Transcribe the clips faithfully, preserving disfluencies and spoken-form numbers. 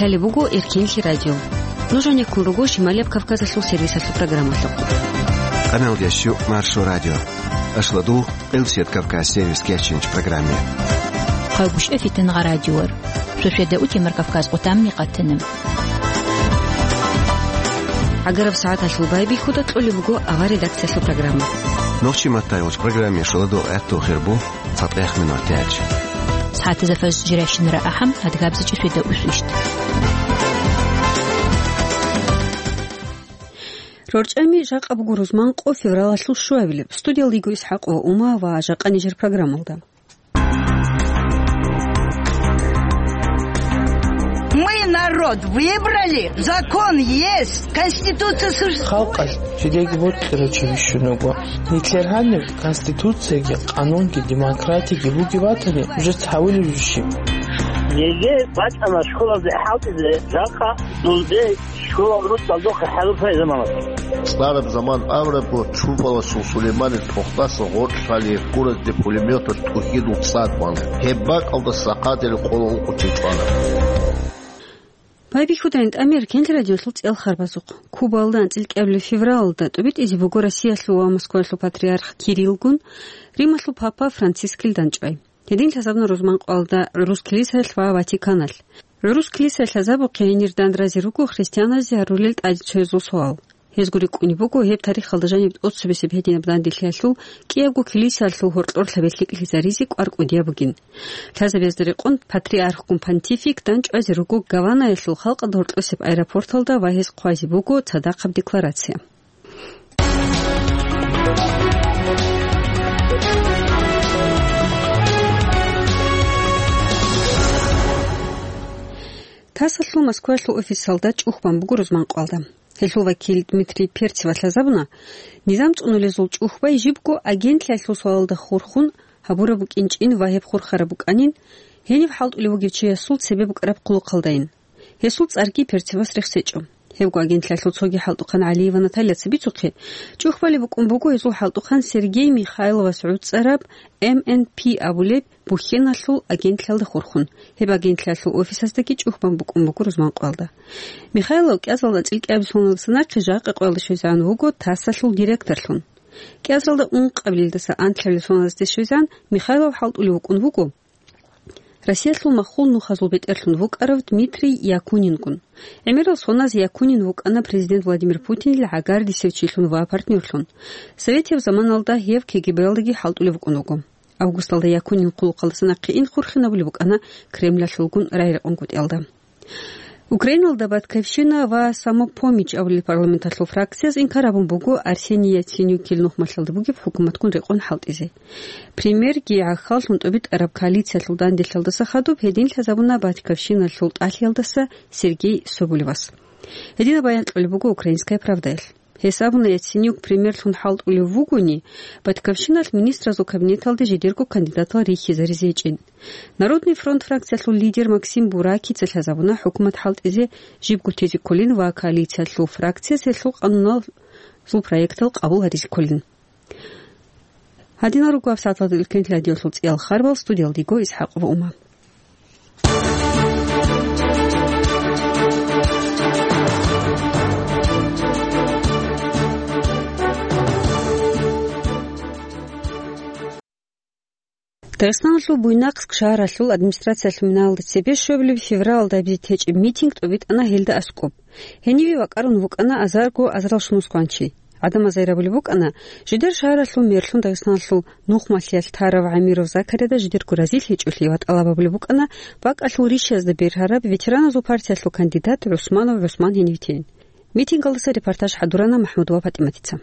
Лъалеб буго Эркенлъи радио. Нуж гьанеккун руго Шималияб Кавказалъул сервисалъул программалъухъ. Къаналдиясчу Маршо радио. Ашладу Къилсият Кавказ сервис кечинч программе. Хъагушев Фитингъа радиор. Шошеда утемар Кавказ къутамни къатанам. Агараб сагӀаталъул байбихьуда кьолеб буго ава редакциялъул программа. Нохчи матайвуч программе шуладу гӀатту хирбу. Цадехъ минутач. СагӀатазда фажр жиращинара ахӀам, адгабзичӀи шведа усвищт. РорчӀами жакъа буго рузман къо февралалъул щуабилеб. Студиялда йиго ИсхӀакъ ва Ума ва жакъа нижер программалда. Мы народ выбрали, закон есть, конституция существует. Халкъалъ жидеги бокьарав чи бищун вуго. Нилъер гьаниб конституцияги, къанунги, демократиги бугеб батани, уже цавулеб жо щиб? Еге бачӀана школазе хӀалтӀизе, жакъа дунде школа ручӀалдухъе хӀалуфай заманас. ЦӀараб заман абурабго, чурпаласул Сулейманил тохтаса гъоркь лъали гьеб гуразде пулеметалъ тӀухьидул цӀад бан. Гьеб бакӀалдаса хъадираб къола ункъо чи чӀвана. Байбихьудайин тӀамир Эркенлъи радиолъул цӀел харбазухъ. Кубалда анцӀил кӀиабилеб февралалда тӀубитӀизе буго Россиялъул ва Москваялъул патриарх Кириллгун, Рималъул папа Францискил дандчӀвай. Гьедин лъазабуна рузман къоялда гӀурус килисаялъ ва Ватиканалъ. ГӀурус килисаялъ лъазабухъе гьенир дандразе руго христианазде гьарулел тӀадегӀанчиясул суал. Гьезго рикӀкӀунеб буго гьеб тарихалда жаниб тӀоцебесеб гьединаб данделъиялъул кӀиябго килисаялъул гьоркьор лъабелъи кӀилизаризе кӀвар кӀудияб бугин. Лъазабазда рекъон патриархгун понтифик дандчӀвазе руго Гаванаялъул халкъалда гьоркьосеб аэропорталда ва гьес хъвазе буго цадахъаб декларация. ТАССалъул Москваялъул офисалда чӀухбан буго рузман къоялда. Гьелъул вакил Дмитрий Перцевас лъазабуна, низам цӀунулезул чӀухбай жибго агентлъиялъул суалалда хурхун гьабураб букӀинчӀин ва гьеб хурхараб букӀанин, гьениб хӀалтӀулев вугев чиясул цебе букӀараб хъулухъалдайин. Гьесул цӀарги Перцевас рехсечӀо. Гьебго агентлъиялъул цоги хӀалтӀухъан ГӀалиева Натальяца бицухъе, чӀухбалеб букӀун буго гьезул хӀалтӀухъан Сергей Михайловас гӀуцӀараб М Н П абулеб бухьеналъул агентлъиялда хурхун. Гьеб агентлъиялъул офисаздаги чӀухбан букӀун буго рузман къоялда. Михайлов кӀиазалда анцӀил кӀиабилеб соналдаса нахъе жакъа къоялде щвезегӀан вуго ТАССалъул директорлъун. КӀиазалда ункъабилелдаса анлъабилеб соналдаса щвезегӀан Михайлов хӀалтӀулев вукӀун вуго Россиялъул махул нухазул бетӀерлъун вукӀарав Дмитрий Якунингун. ГӀемерал соназе Якунин вукӀана президент Владимир Путинил гӀагардисев чилъун ва партнёрлъун. Советияб заманалда гьев К Г Б-ялдаги хӀалтӀулев вукӀун вуго. Августалда Якунин хъулухъалдаса нахъе ин хурхинабулеб букӀана Кремлалъулгун рагӀи-рекъон кутӀиялда. Украиналда «Батькивщина» ва «Самопомощь» абулел парламенталъул фракцияз инкар гьабун буго Арсений Яценюкил нухмалъалда бугеб хӀукуматгун рекъон хӀалтӀизе. Премьерги гӀахьаллъун тӀубитӀараб коалициялъул данделъиялдаса хадуб гьедин лъазабуна «Батькивщиналъул» тӀалъиялдаса Сергей Соболевас. Гьединаб баян кьолеб буго «Украинская правдаялъ». Гьес абуна, Яценюк премьерлъун хӀалтӀулев вугони, «Батькивщиналъ» министразул кабинеталде жидерго кандидатал рихьизаризе гьечӀин. «Народный фронт» фракциялъул лидер Максим Буракица лъазабуна хӀукумат хӀалтӀизе жибго тезе кколин ва коалициялъул фракцияс гьелъул къануналъул проектал къабул гьаризе кколин. Гьадинал руго гьабсагӀаталда Эркенлъи радиолъул цӀиял харбал. Студиялда йиго ИсхӀакъ ва Ума. Дагъистаналъул Буйнакск шагьаралъул администрациялъул минаялда цебе щуабилеб февралалда гьабизе течӀеб митинг тӀубитӀана гьелда аскӀоб. Гьениве вакӀарун вукӀана азарго азаралщинал москванчи. ГӀадамаз гьайрабулеб букӀана, жидер шагьаралъул мерлъун Дагъистаналъул нухмалъиялъ тарав ГӀамиров Закарияда жидерго разилъичӀолъи ва тӀалаб гьабулеб букӀана бакӀалъул рищазда бергьараб ветераназул партиялъул кандидат ГӀусманов ГӀусман гьенив тейин. Митингалдаса репортаж хӀадурана МахӀмудова ПатӀиматица.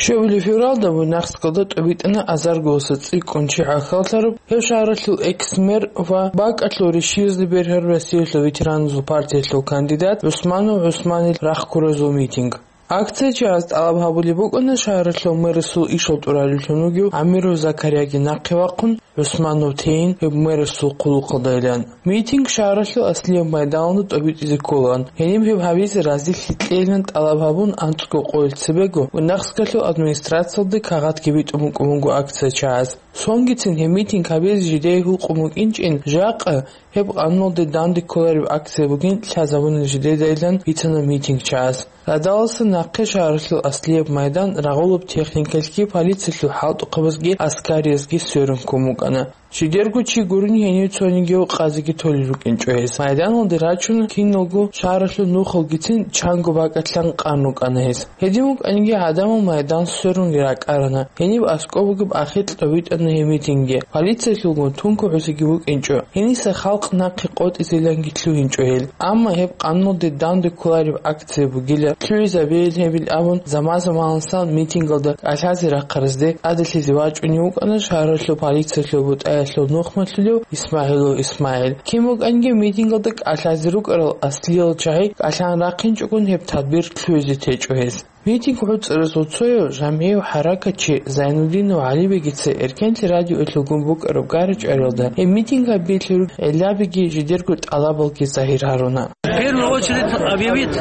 Щуабилеб февралда Буйнакскалда тӀубитӀана азарго ва цӀикӀкӀун чи гӀахьаллъараб гьев шагьаралъул экс-мэр ва бакӀалъул рищиязда бергьараб Россиялъул ветераназул партиялъул кандидат ГӀусманов ГӀусманил рахъ ккуразул митинг. Акциячияз тӀалаб гьабулеб букӀана шагьаралъул мэрасул ишал тӀуралевлъун вугев ГӀамиров Закарияги нахъе вахъун, ГӀусманов тейин гьеб мэрасул хъулухъалдайилан. Митинг шагьаралъул аслияб майданалда тӀобитӀизе кколаан. Гьениб гьеб гьабизе разилъи кьейилан тӀалаб гьабун анцӀго къоялъ цебего Буйнакскалъул администрациялда кагъатги битӀун букӀун буго акциячияз. Сонгицин гьеб митинг гьабизе жидее гьукъун букӀинчӀин, жакъа гьеб къануналде данде кколареб акция бугин лъазабуна жидедайилан бицана митингчияз. Радаласа нахъе шагьаралъул аслияб майдан рагъулаб техникалъги, полициялъул хӀалтӀухъабазги, аскариязги сверун ккун букӀана. Жидерго чи гурони гьенив цонигияв къазиги толел рукӀинчӀо гьес. Майданалде рачун, киналго шагьаралъул нухалгицин чанго бакӀалъан къан рукӀана гьес. Гьедин букӀаниги гӀадамал майдан сверунги ракӀарана. Гьениб аскӀоб бугеб ахикь тӀобитӀана гьеб митингги. Полициялъулгун тункӀ гӀузиги букӀинчӀо. Гьениса халкъ нахъе къотӀизеланги лъугьинчӀо гьел. Амма гьеб къануналде данде кколареб акция бугила, лъугӀизабейил гьебил абун, заман-заманалдасан митингалда кӀалъазе рахъаразде тӀаделъизе вачӀунев вукӀана шагьаралъул полициялъул бутӀаялъул нухмалъулев ИсмагӀилов ИсмагӀил. Кин букӀаниги митингалда кӀалъазе рукӀарал аслиял чагӀи кӀалъан рахъинчӀогун гьеб тадбир лъугӀизе течӀо гьез. Митинг гӀуцӀаразул цояв жамгӀияв хӀаракатчи Зайнудинов ГӀалибегица Эркенлъи радиоялъулгун букӀараб гара-чӀвариялда гьеб митинг гьабиялъе ругел гӀиллабиги жидерго тӀалабалги загьир гьаруна. В первую очередь объявить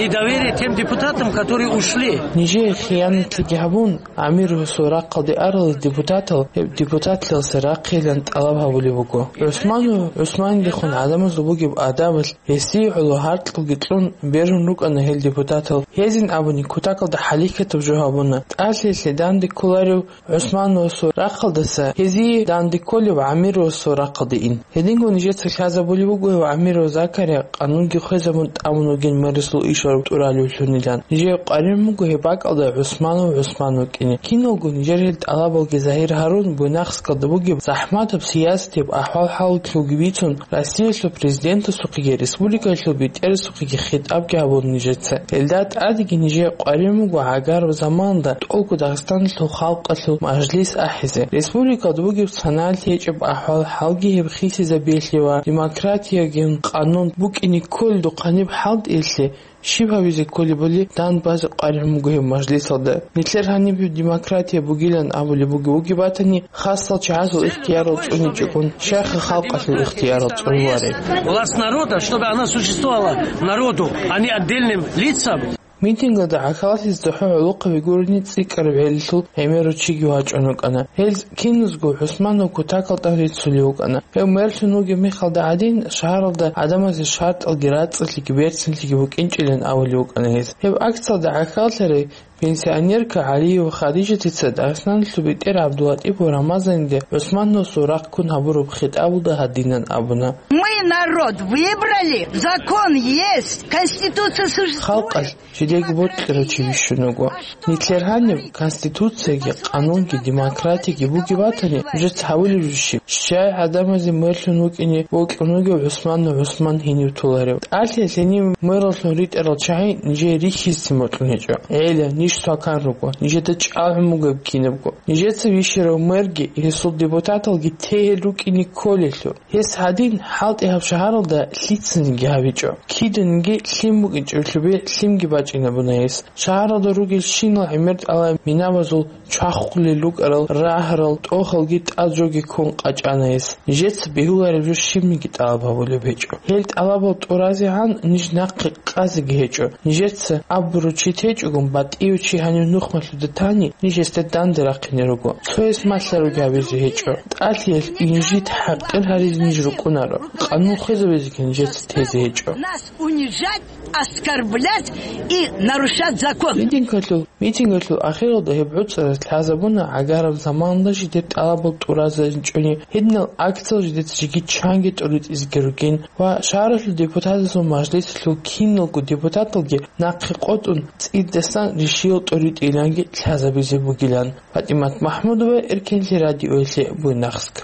недоверие тем депутатам, которые ушли. Нижее хиянатлъиги гьабун, ГӀамировасул рахъалде арал депутатал гьеб депутатлъиялдаса рахъейилан тӀалаб гьабулеб буго. ГӀусманов ГӀусмандехун гӀадамазул бугеб адабалъ, гьесие гӀоло гьаркьалги кьун бергьун рукӀана гьел депутатал. Гьезин абуни, кутакалда хӀалихьатаб жо гьабуна. ТӀалъиялъе данде кколарев ГӀусмановасул рахъалдаса гьезие данде кколев ГӀамировасул рахъалде ин. Гьединго нижеца лъазабулеб буго гьев ГӀамиров Закария къанунги хвезабун тӀамун вугин мэрасул ишал тӀуралевлъунилан. Нижее къваригӀун буго гьеб бакӀалда ГӀусманов ГӀусман вукӀине. Киналго нижер гьел тӀалабалги загьир гьарун, Буйнакскалда бугеб захӀматаб сиясатияб ахӀвал-хӀалалъулги бицун, Россиялъул Президентасухъеги республикаялъул БетӀерасухъеги хитӀабги гьабун нижеца. Гьелда тӀадеги нижее къваригӀун буго гӀагараб заманалда тӀолго Дагъистаналъул халкъалъул мажлис ахӀизе. Республикалда бугеб саналъи гьечӀеб ахӀвал-хӀалги гьеб хисизабиялъе ва демократиягин къанун букӀине кколелдухъ гьаниб хӀалтӀиялъе щиб гьабизе кколебали данде базе къваригӀун буго гьеб мажлисалда. Нилъер гьаниб демократия бугилан абулеб буго, бугеб батани, хасал чагӀазул ихтиярал цӀуничӀогун, щайха халкъалъул ихтиярал цӀунвареб? Власть народа, чтобы она существовала народу, а не отдельным лицам. Митингада гӀахьаллъизе цохӀо гӀолохъаби гурони цӀикӀкӀараб гӀелалъул гӀемерав чиги вачӀун вукӀана. Гьел киназго ГӀусманов кутакалда риццулев вукӀана. Гьев мэрлъун вугеб мехалда гӀадин, шагьаралда гӀадамазе шартӀалги рацӀцӀалъиги берцинлъиги букӀинчӀилан абулев вукӀана гьез. Гьеб акциялда гӀахьаллъарай пенсионерка ГӀалиева Хадижатица Дагъистаналъул бетӀер ГӀабдулатӀипов Рамазанида ГӀусмановасул рахъ ккун гьабураб хитӀабалда гьадинан абуна: Мы народ выбрали, закон есть, конституция существует. Халкъалъ жидеги бокьарав чи бищун вуго. Нилъер гьаниб конституцияги, къанунги, демократияги бугеб батани, нужеца гьабулеб жо щиб? Щай гӀадамазе мэрлъун вукӀине бокьун вугев ГӀусманна ГӀусман гьенив толарев? ТӀалъиялъ гьенив мэраллъун ритӀарал чагӀи нижее рихьизецин бокьун гьечӀо. ГӀела, ниж свакан руго, нижеда чӀалгӀун бугеб кинабго. Нижеца вищарав мэрги, гьесул депутаталги тегьел рукӀине кколелъул. Гьес гьадин, хӀалтӀи гьаб шагьаралда лъицаниги гьабичӀо. Киданиги лъим букӀинчӀеб лъубе лъимги бачӀинабуна гьес. Шагьаралда ругелщинал гӀемер тӀалай минабазул чвахулел рукӀарал рагьарал тӀохалги тӀад жоги ккун къачӀана гьес. Нижеца бегьулареб жо щибниги тӀалаб гьабулеб гьечӀо. Гьел тӀалабал тӀуразегӀан ниж нахъе къазеги гьечӀо. Нижеца абурав чи течӀогун, батӀияв чи гьанив нухмалъуда тани, ниж гьесда данде рахъине руго. Цояс малъаруги гьабизе гьечӀо. ТӀалъиялъ инжит хӀакъир гьаризе ниж рукӀунаро. Къанун хвезабизеги нижеца тезе гьечӀо. Нас унижать, оскорблять и нарушать закон. Митингалъул, митингалъул ахиралда гьеб гӀуцӀараз лъазабуна гӀагараб заманалда жидер тӀалабал тӀуразаринчӀони, гьединал акциял жидеца жеги чанги тӀуритӀизеги ругин ва шагьаралъул депутатазул мажлисалъул киналго депутаталги нахъе къотӀун, цӀидасан ришиял тӀуритӀиланги лъазабизе бугилан. ПатӀимат МахӀмудова, Эркенлъи радиоялъе, Буйнакск.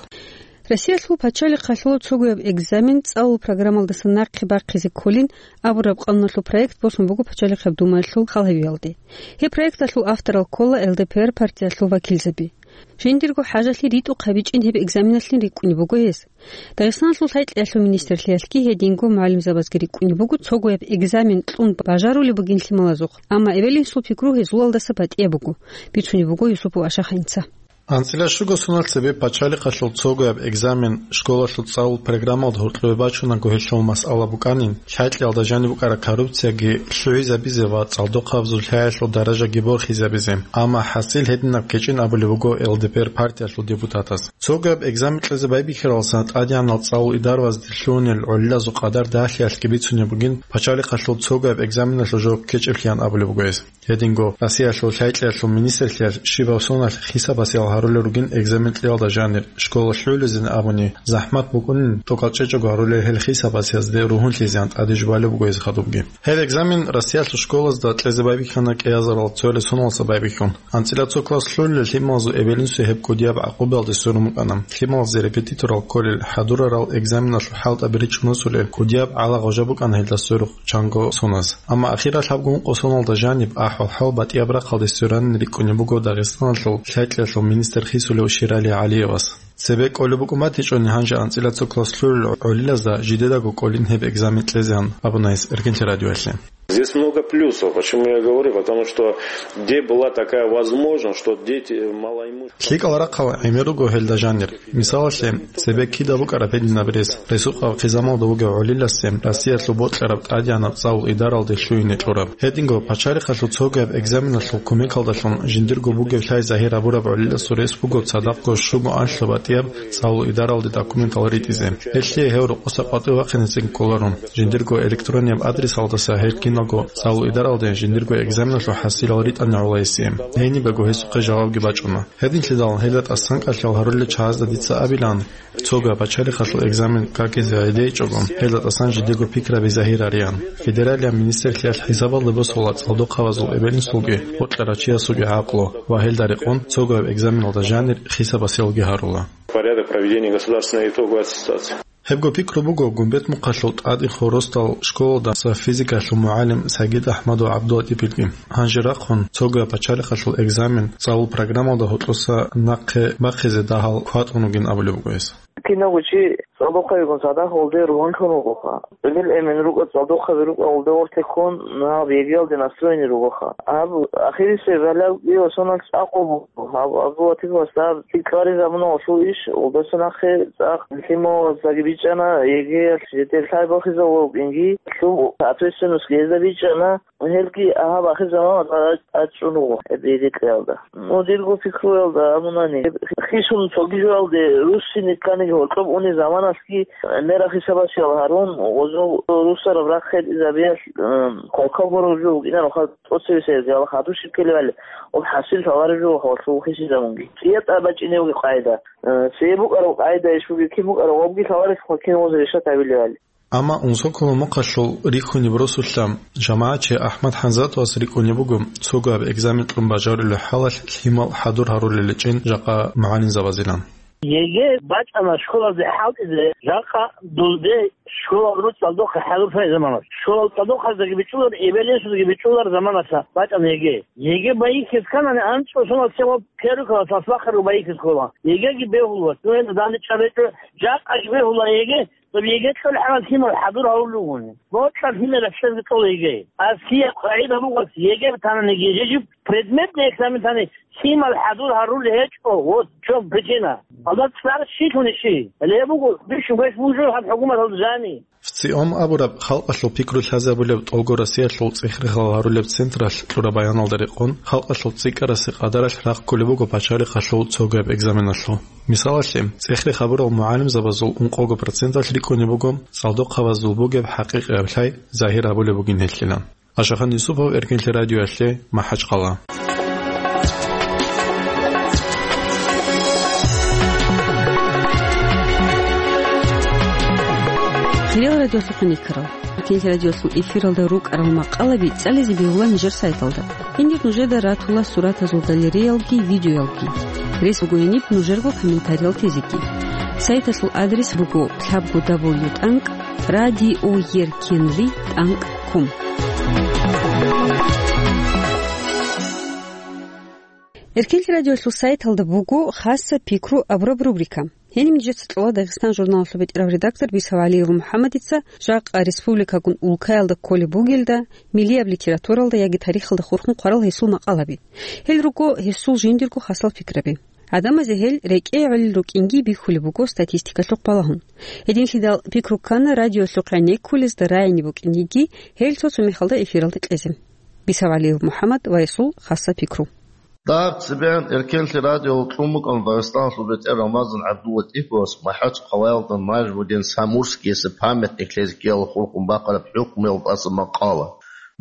Россиялъул пачалихъалъул цогояб экзамен цӀалул программалдаса нахъе бахъизе кколин абураб къануналъул проект босун буго Пачалихъаб Думаялъул хал гьавиялде. Гьеб проекталъул авторал ккола Л Д П Р партиялъул вакилзаби. Жиндирго хӀажалъи ритӀухъ гьабичӀин гьеб экзаменалъин рикӀкӀунеб буго гьес. Дагъистаналъул лъай-кьеялъул министрлъиялъги гьединго мугӀалимзабазги рикӀкӀунеб буго цогояб экзамен кьун бажарулеб бугин лъималазухъ, амма эбел-инсул пикру гьезулалдаса батӀияб буго, бицунеб буго Юсупов Ашаханица. АнцӀила щуго соналъ цебе пачалихъалъул цогояб экзамен школалъул цӀалул программалда гьоркьове бачунаго гьелъул масъала букӀанин, лъай-кьеялда жаниб букӀараб коррупцияги лъугӀизабизе ва цӀалдохъабазул лъаялъул даражаги борхизабизе. Амма хӀасил гьединаб кечӀин абулеб буго Л Д П Р партиялъул депутатас. Цогояб экзамен кьезе байбихьаралдасан тӀадегӀанал цӀалул идаравазде лъугьунел гӀолилазул къадар дагьлъиялъги бицунеб бугин пачалихъалъул цогояб экзаменалъул жаваб ккечӀеблъиан абулеб буго гьес. Гьединго Россиялъул лъай-кьеялъул министрлъиялъ щибаб соналъ хисабасиял гьарулел ругин экзамен кьеялда жанир, школа лъугӀулезин абуни, захӀмат букӀунин тӀокӀал чӀечӀого гьарулел гьел хисабасиязде ругьунлъизеян тӀаде жубалеб буго гьез хадубги. Гьеб экзамен Россиялъул школазда кьезе байбихьана кӀиазарал цоялъ соналдаса байбихьун. АнцӀила цо класс лъугӀулел лъималазул эбел-инсуе гьеб кӀудияб гӀакъубаялде сверун букӀана. Лъималазе репетиторал кколел хӀадурарал экзаменалъул хӀалтӀаби ричӀун росулел кӀудияб гӀалагъо жо букӀана гьелда сверухъ чанго соназ. Амма ахирал гьабгун къосуналда жаниб ахӀвал-хӀал батӀияб рахъалде сверанин рикӀкӀунеб буго Дагъистаналъул лъай-кьеялъул министр хисулев Ширали ГӀалиевас. Цебе кӀолеб букӀун батичӀони гьанже анцӀила цо класс лъугӀулел гӀолилазда жидедаго кӀолин гьеб экзамен кьезеян абуна гьес Эркинлъи радиоялъе. Здесь много плюсов. Почему я говорю? Потому что где была такая возможность, что дети малоимущие. ЛъикӀал рахъал гӀемер руго гьелда жанир. Мисалалъе, цебе кида букӀараб гьединаб рес, ресукъаб хъизамалда вугев гӀолиласе Россиялъул бокьараб тӀадегӀанаб цӀалул идаралде лъугьине кьураб. Гьединго пачалихъалъул цогояб экзаменалъул кумекалдалъун жиндирго бугеб лъай загьир гьабураб гӀолиласул рес буго цадахъго щуго анлъго батӀияб цӀалул идаралде документал ритӀизе. Гьелъие гьев рокъоса къватӀив вахъинецин кколарун. Жиндирго электронияб адресалдаса гьел киналго цӀалул идаралде жиндирго экзаменалъул хӀасилал ритӀана гӀолайисе. Гьенибего гьесухъе жавабги бачӀуна. Гьединлъидал гьелда тӀасан кӀалъал гьарулел чагӀазда дица абилан, цогояб пачалихъалъул экзамен какизе гӀедейчӀого, гьелда тӀасан жидего пикраби загьирариян. Федералияб министрлъиялъ хӀисабалде босула цӀалдохъабазул эбел-инсулги, бокьарав чиясулги гӀакълу ва гьелда рекъон цогояб экзаменалда жанир хисабасиялги гьарула. Порядок проведения государственной итоговой аттестации. Гьебго пикру буго Гумбетмухъалъул ТӀадихъо росдал школадаса физикалъул мугӀалим Сагид Ахмадов ГӀабдулатӀипилги. Гьанже рахъун, цогояб пачалихъалъул экзамен цӀалул программалда гьоркьоса нахъе бахъизе дагьал кватӀун вугин абулеб буго гьес. Киналго чи цӀалдохъабигун цадахъ гьолде ругьунлъун вугоха. Гьел эмен рукӀа, цӀалдохъаби рукӀа гьолде гъорлъе ккун, гьаб ЕГЭ-ялде настроенный ругоха. Гьаб ахирисеб гьалабги ва соналъ цӀакъго буго. Гьаб Абдулатиповас гьаб тикаризабуна гьалъул иш, гьолдаса нахъе цӀакъ лъималаздаги бичӀчӀана, ЕГЭ-ялъ жидер лъай бахизавулеб букӀинги, лъуб ответственностьги гьезда бичӀчӀана. Гьелги гьаб ахир заман тӀад-, тӀадчӀун руго гьеб ЕГЭ кьеялда. Ну, дирго пикруялда абунани, хисун цоги жоялде руссине кканиги гьоркьоб уни заманалъги мера хисабасиял гьарун, гъозул руссараб рахъ хӀетӀизабиялъ, м, хъалхъа гураб жо букӀинаро, хал тӀоцевесаялъ хадуб щиб ккелевали, об хӀасил лъалареб жо хавалъув хисизабунги. ЦӀиятӀа бачӀиневги къайда. Э, цӀияб букӀараб къайда иш буги, кин букӀараб вабги лъаларес хъвакин гъоз решат гьабилевали. Амма унсоколо мухъалъул рихьуниб росулъа жамагӀатчи АхӀмад ХӀанзатовас рикӀкӀунеб буго, цогояб экзамен кьун бажарулеб хӀалалъ лъимал хӀадур гьарулел гьечӀин жакъа мугӀалимзабазилан. ЕГЭ бачӀана школазде хӀалтӀизе, жакъа дузде школал руцӀцӀалдохъе хӀадур лъай заманалъ. Школал цӀалдохъаздаги бичӀчӀулар, эбел-инсуздаги бичӀчӀулар заманалъа бачӀана ЕГЭ. ЕГЭ байихьиз кканани анцӀго соналъ первый классалъ бахъарго байихьиз ккола. ЕГЭги бегьуларо. Ну, гьениб данде чӀараб гьечӀо, жакъа бегьула ЕГЭ, ЕГЭ кьолеб хӀалалъ лъимал хӀадур гьарулел ругони. Бокьараб лъимер рахчазги кьола ЕГЭ. Аскияб къагӀида буго, ЕГЭ танани, гьеб предметный экзамен тани лъимал хӀадур гьарулел гьечӀо, вот в чём причина. Гьалда цӀар щилъун ищи? Гьеле гьеб буго, бищун гьес вужу гьаб хӀукуматалда жани. ВЦИОМ абураб халкъалъул пикру лъазабулеб тӀолго Россиялъул цӀех-рехал гьарулеб централъ кьураб баяналда рекъон, халкъалъул цӀикӀкӀарасе къадаралъ рахъ кколеб буго пачалихъалъул цогояб экзаменалъул. Мисалалъе, цӀех-рех гьабурал мугӀалимзабазул ункъого проценталъ рикӀкӀунеб буго, цӀалдохъабазул бугеб хӀакъикъияб лъай загьир гьабулеб бугин гьелъилан. Ашахан Юсупов, Эркинлъи радиоялъе, МахӀачхъала. Хириял радиолъухъ никарал. Эркинлъи радиоялъул эфиралда рукӀарал макъалаби цӀализе бегьула нижер сайталда. Гьенир нужеда ратула суратазул галереялги видеоялги. Рес буго гьениб нужерго комментариял тезеги. Сайталъул адрес буго лъабго дабл ю тӀанкӀ радиоеркинлъи тӀанкӀ ком. Эркенлъи радиолъул сайталда буго «Хасса пикру» абураб рубрика. Гьениб нижеца кьола Дагъистан журналалъул бетӀерав редактор Бисав ГӀалиев МухӀаммадица жакъа республикагун улкаялда кколеб бугелда, миллияб литературалда яги тарихалда хурхун хъварал гьесул макъалаби. Гьел руго гьесул жиндирго хасал пикраби. ГӀадамазе гьел рекӀее гӀолел рукӀинги бихьулеб буго статистикалъухъ балагьун. Гьединлъидал пикру ккана радиолъухъ гӀенеккулезда рагӀине букӀин йиги гьел цо-цо мехалда эфиралда кьезе. Бисав ГӀалиев МухӀаммад ва гьесул хасса пикру. Дагьаб цебегӀан Эркенлъи радиоялъ кьун букӀана Дагъистаналъул бетӀер Рамазан ГӀабдуллатӀиповас МахӀачхъалаялда Нажмудин Самурскиясе памятник лъезе ккеялъухъ хурхун бахъараб хӀукмуялда тӀаса макъала.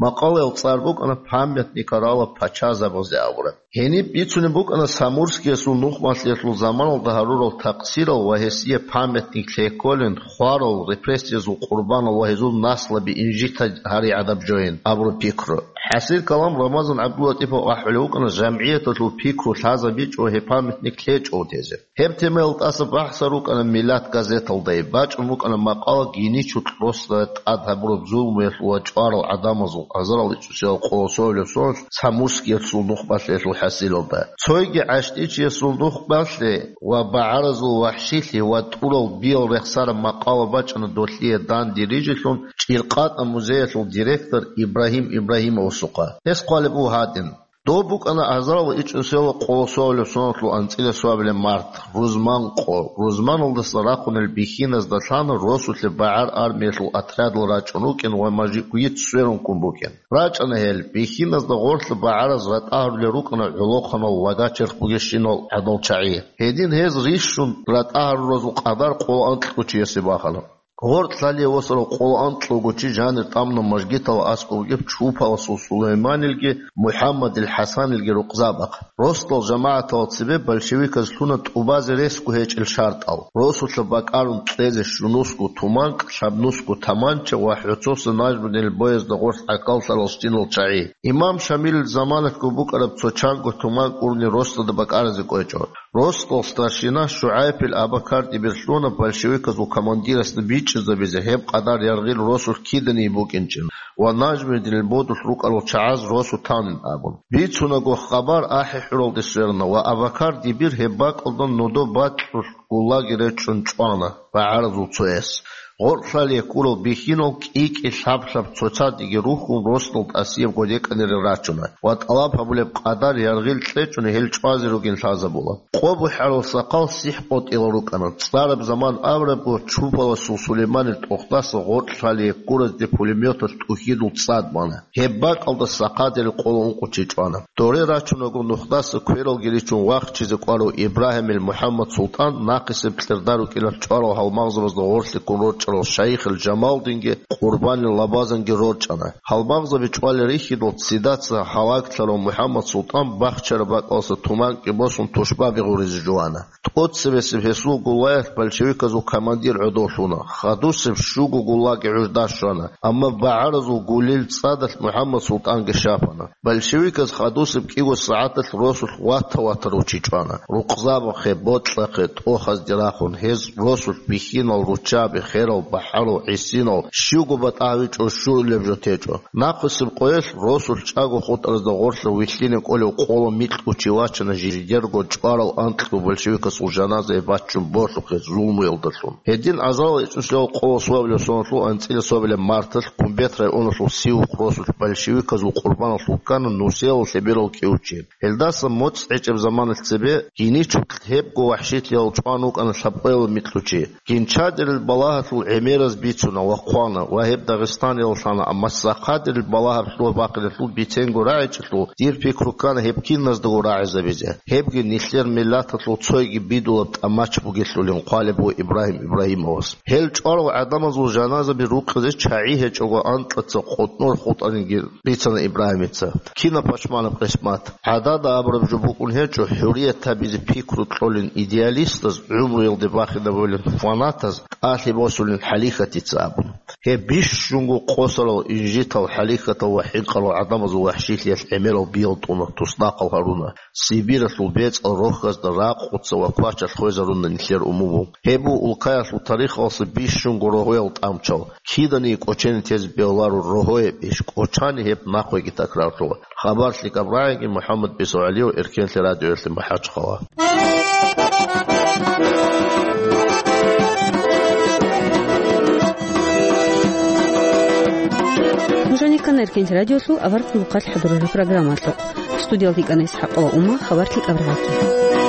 Макъалаялъул цӀар букӀана «Памятникарала пачазабазе» абураб. Гьениб бицунеб букӀана Самурскиясул нухмалъиялъул заманалда гьарурал такъсирал ва гьесие памятник лъей кколин, хварал, репрессиязул къурбанал ва гьезул наслаби инжита гьари гӀадаб жойин абураб пикру. ХӀасил калам Рамазан ГӀабдуллатӀипов ахӀулев вукӀана жамгӀияталъул пикру лъазабичӀо гьеб памятник лъечӀого тезе. Гьеб темаялда тӀаса бахӀсар рукӀана «Миллат» газеталда, бачӀун букӀана макъала гьиничӀого росда тӀад гьабураб зулмуялъул ва чӀварал гӀадамазул азарал ичӀусиял къолосовлеб соналъ Самурскиялъул нухмалъиялъул хӀасилалда. Цойги гӀащтӀичиясул нухмалъи ва багӀаразул вахӀшилъи ва тӀурал биял рехсараб макъала бачӀана долъие данде рижелъун ЧӀиркъатӀа музеялъул директор Ибрагьим Ибрагьимовасухъа. Гьес хъвалеб буго гьадин: Доб букӀана азарал ичӀусиял къолосовлеб соналъул анцӀила соабилеб март, рузман къо. Рузманалдаса рахъунел бихьиназда лъана росулъе багӀар армиялъул отрядал рачӀун рукӀин ва мажгит сверун ккун букӀин. РачӀана гьел. Бихьиназда гъорлъа багӀараз ратӀа гьарулел рукӀана гӀолохъанал лага-черх бугещинал гӀадал чагӀи. Гьедин гьез рищун ратӀа гьаруразул къадар къоло анкьго чиясе бахана. Гъоркь лъалие восарав къоло анкьго чи жанир тӀамуна мажгиталда аскӀоб бугеб Чупаласул Сулайманилги МухӀаммадил ХӀасанилги рукъзабахъ. Росдал жамагӀаталда цебе большевиказ лъуна тӀубазе ресго гьечӀел шартӀал: росулъа бакӀарун кьезе щунусго туманкӀ, лъабнусго таманча ва хӀоцоса Нажмудинил боязда гъорлъ гӀахьаллъарал щинал чагӀи. Имам Шамилил заманалъго букӀараб цо чанго туманкӀ урни росдада бакӀаразе кӀвечӀо. Росдал старшина ШугӀайпил Абакар-дибир лъуна большевиказул командирасда бичӀчӀизабизе гьеб къадар яргъил росулъ киданиги букӀинчӀин ва Нажмудинил бодулъ рукӀарал чагӀаз росу танин абун. Бицунаго хабар АхӀи-ХӀуралде сверана ва Абакар-дибир гьеб бакӀалда нодо бакьулъ гуллаги речӀчӀун чӀвана багӀаразул цояс. Гъоркь лъалие ккурал бихьинал кӀи-кӀи лъаб-лъаб цоцазеги рухьун росдал тӀасиябго рекӀанилан рачуна ва тӀалаб гьабулеб къадар яргъил кьечӀони гьел чӀвазе ругин лъазабула. Къо бухӀарал сахъал сихӀ къотӀилал рукӀана. ЦӀараб заман абурабго, Чупаласул Сулейманил тӀохдаса гъоркь лъалие ккуразде пулеметалъ тӀухьидул цӀад бана. Гьеб бакӀалда сахъадерил къоло ункъо чи чӀвана. Доре рачунаго нухдаса квералги ричун вахчизе кӀварав Ибрагьимил МухӀаммад-Султан нахъисеб кьерда рукӀиналъ чӀварал гьалмагъзабазда гъорлъе ккун рорчӀарал шайихил Жамалдинги Къурбанил Лабазанги рорчӀана. Гьалмагъзаби чӀвалел рихьидал ццидаса гьалаглъарав МухӀаммад-Султан бахчараб бакӀалдаса туманкӀи босун тушбаби гъуризе жувана. ТӀоцебесеб гьесул гуллагьалъ большевиказул командир гӀодов лъуна. Хадусеб щуго гуллаги гӀужда щвана, амма багӀаразул гулил цӀадалъ МухӀаммад-Султанги щапана. Большевиказ хадусеб кӀиго сагӀаталъ росулъ вата-ватарав чи чӀвана. Рукъзабахъе, бокьахъе, тӀохазде рахун, гьез росулъ бихьинал, руччаби, херал, бахӀарал, гӀисинал, щивго батӀа гьавичӀо щурулеб жо течӀо. Нахъисеб къоялъ росулъ чӀаго хутӀаразда гъорлъа вилълъине кӀолев къоло микьго чи вачана жидерго чӀварал анкьго большевикасул жаназае баччун болъухъе зулмуялдалъун. Гьедин азарал ичӀнусиял къоло соабилеб соналъул анцӀила соабилеб марталъ Кумбет районалъул Сивухъ росулъ большевиказул къурбаналъул ккана нусиялал лъеберал кӀиго чи. Гьелдаса моцӀ гьечӀеб заманалъ цебе гьиничӀолъ гьебго вахӀшилъиялъ чӀван вукӀана лъабкъоялаб микьго чи. Гинчадерил балагьалъул гӀемераз бицуна ва хъвана ва гьеб Дагъистаниялалъана, амма сахъадерил балагьаб лъугьа-бахъиналъул биценго рагӀичӀелъул дир пикру ккана гьеб киназдаго рагӀизабизе. Гьебги нилъер миллаталъул цойги бидулаб тӀамач бугелъулин хъвалеб буго Ибрагьим Ибрагьимовас. Гьел чӀварал гӀадамазул жаназаби рукъизе чагӀи гьечӀого анкьаца къотӀнор хутӀаниги рицана Ибрагьимица. Кинаб пашманаб къисмат! ГӀадада абураб жо букӀун гьечӀо хӀуррият гьабизе пикру кьолин идеалистаз, гӀумруялде бахинабулин фанатаз, тӀалъи босулин хӀалихьатица абун. Гьеб бищунго къосарал инжитал, хӀалихьатал ва хӀинкъарал гӀадамазул вахӀшилъиялъ гӀемерал биял тӀуна, туснахъал гьаруна. Сибиралъул бецӀал рохьазда ракъуца ва квачалъ хвезаруна нилъер умуму. Гьеб буго улкаялъул тарихалъе бищунго рогьоял тӀамчал. Киданиги кӀочене тезе бегьуларо рогьояб иш, кӀочани гьеб нахъеги такрарлъула. Хабар лъикӀаб рагӀиги, МухӀаммад БицогӀалиев, Эркенлъи радиоялъе, МахӀачхъала. Нуж гьанир ккана Эркенлъи радиолъул аварагасул хъалихъ хӀадурараб программалъухъ. Студиялда йикӀана ИсхӀакъова Ума, хабар лъикӀаб рагӀиги.